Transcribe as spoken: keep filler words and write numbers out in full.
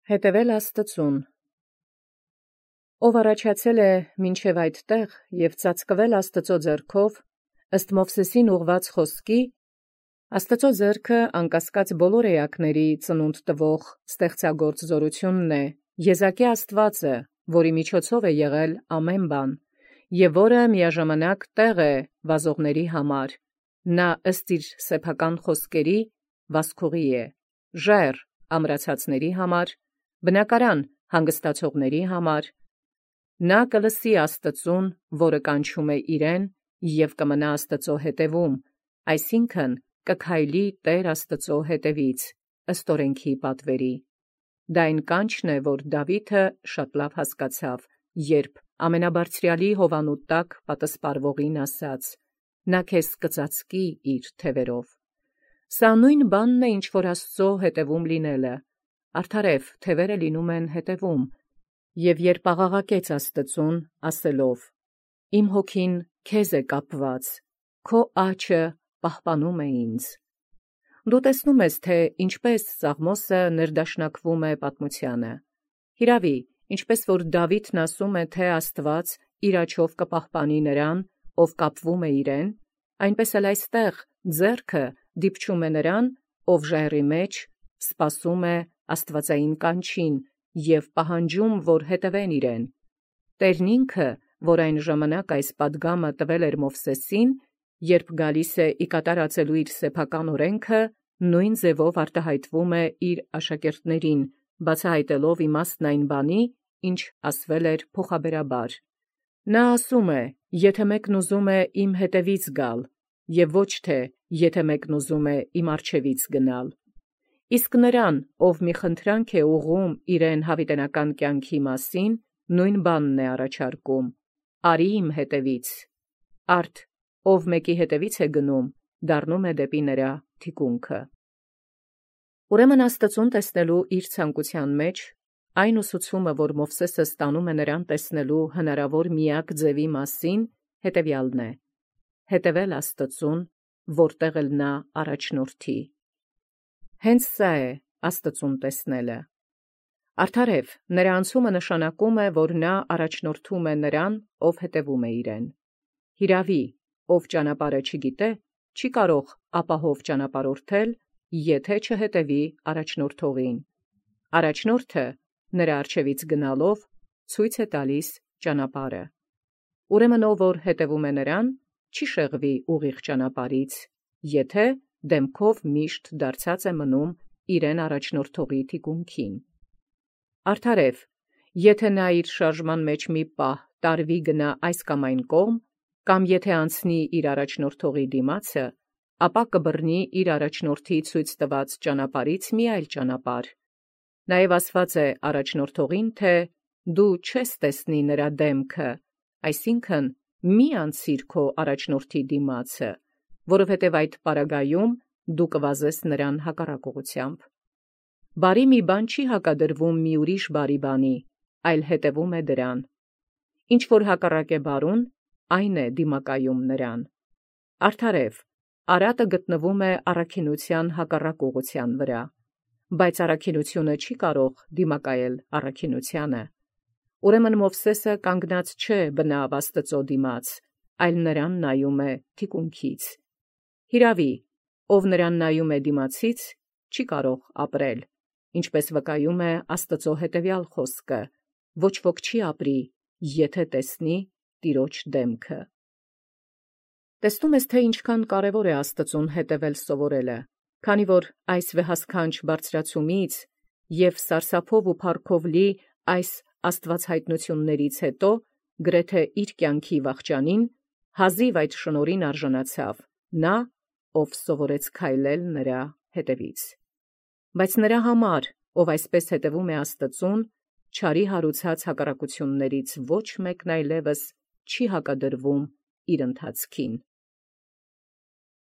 Հետևել Աստծուն։ Ով առաջացել է մինչև այդ տեղ և ծածկվել Աստծո ձեռքով, ըստ Մովսեսին ուղված խոսքի, Աստծո ձեռքը անկասկած բոլոր էակների ծնունդ տվող ստեղծագործ զորությունն է, եզակի Աստուածը, որի միջոցով է եղել ամեն բան, և որը միաժամանակ տեղ է վազողների համար, նա ըստ իր սեփական խոսքերի վասքուղի է, ժայռ ամրացածների համար, բնակարան հանգստացողների համար, նա կլսի Աստծուն, որը կանչում է իրեն, և կմնա Աստծո հետևում, այսինքն կքայլի Տեր Աստծո հետևից, ըստ օրենքի պատվերի։ Դա այն կանչն է, որ Դավիթը շատ լավ հասկացավ, երբ ամենաբարձրյալի հովանու տակ պատսպարվողին ասաց. «Նա քեզ կծածկի իր թևերով»։ Սա նույն բանն է, ինչ որ Աստծո հետևում լինելը, արդարև թևերը լինում են հետևում, և երբ աղաղակեց Աստծուն, ասելով. «Իմ հոգին քեզ է կապված, քո աջը պահպանում է ինձ»։ Դու տեսնում ես, թե ինչպես Սաղմոսը ներդաշնակվում է պատմությանը։ Հիրավի, ինչպես որ Դավիթն ասում է, թե Աստված իր աջով կպահպանի նրան, ով կապվում է իրեն, այնպես էլ այստեղ ձեռքը դիպչում է նրան, ով ժայռի մեջ սպասում է աստվածային կանչին և պահանջում, որ հետևեն իրեն։ Տերն ինքը, որ այն ժամանակ այս պատգամը տվել էր Մովսեսին, երբ գալիս է ի կատարածելու իր սեփական օրենքը, նույն ձևով արտահայտվում է իր աշակերտներին, բացահայտելով իմաստն այն բանի, ինչ ասվել էր փոխաբերաբար։ Նա ասում է. «Եթե մեկն ուզում է իմ հետևից գալ, և ոչ թե եթե մեկն ուզում է իմ առջևից գնալ»։ Իսկ նրան, ով մի խնդրանք է ուղղում իրեն հավիտենական կյանքի մասին, նույն բանն է առաջարկում. «Արի իմ հետևից»։ Արդ ով մեկի հետևից է գնում, դառնում է դեպի նրա թիկունքը։ Ուրեմն Աստծուն տեսնելու իր ցանկության մեջ այն ուսուցումը, որ Մովսեսը ստանում է նրան տեսնելու հնարավոր միակ ձևի մասին, հետևյալն է. հետևել Աստծուն, որտեղ էլ նա առաջնորդի։ Հենց սա է Աստծուն տեսնելը։ Արդարև, նրա անցումը նշանակում է, որ նա առաջնորդում է նրան, ով հետևում է իրեն։ Հիրավի, ով ճանապարհը չգիտե, չի կարող ապահով ճանապարհորդել, եթե չհետևի առաջնորդողին։ Առաջնորդը նրա առջևից գնալով ցույց է տալիս ճանապարհը։ Ուրեմն ով որ հետևում է նրան, չի շեղվի ուղիղ ճանապարհից, եթե դեմքով միշտ դարձած է մնում իրեն առաջնորդողի թիկունքին։ Արդարև, եթե նա իր շարժման մեջ մի պահ տարվի գնա այս կամ այն կողմ, կամ եթե անցնի իր առաջնորդողի դիմացը, ապա կբռնի իր առաջնորդի ցույց տված ճանապարհից մի այլ ճանապարհ։ Նաև ասված է առաջնորդողին, թե «Դու չես տեսնի նրա դեմքը», այսինքն մի անցիր քո առաջնորդի դիմացը, որովհետև այդ պարագայում դու կվազես նրան հակառակությամբ։ Բարի մի բան չի հակադրվում մի ուրիշ բարի բանի, այլ հետևում է դրան։ Ինչ որ հակառակ է բարուն, այն է դիմակայում նրան։ Արդարև, արատը գտնվում է առաքինության հակառակ ուղղության վրա, բայց առաքինությունը չի կարող դիմակայել առաքինությանը։ Ուրեմն Մովսեսը կանգնած չէ բնավ Աստծո դիմաց, այլ նրան նայում է թիկունքից։ Հիրավի, ով նրան նայում է դիմացից, չի կարող ապրել, ինչպես վկայում է Աստծո հետևյալ խոսքը. «Ոչ ոք չի ապրի, եթե տեսնի Տիրոջ դեմքը»։ Տեսնում ես, թե ինչքան կարևոր է Աստծուն հետևել սովորելը, քանի որ այս վեհասքանչ բարձրացումից և սարսափով ու փառքով լի այս աստվածհայտնություններից հետո, գրեթե իր կյանքի վախճանին, հազիվ այդ շնորհին արժանացավ նա, ով սովորեց քայլել նրա հետևից։ Բայց նրա համար, ով այսպես հետևում է Աստծուն, չարի հարուցած հակառակություններից ոչ մեկն այլևս չի հակադրվում իր ընթացքին։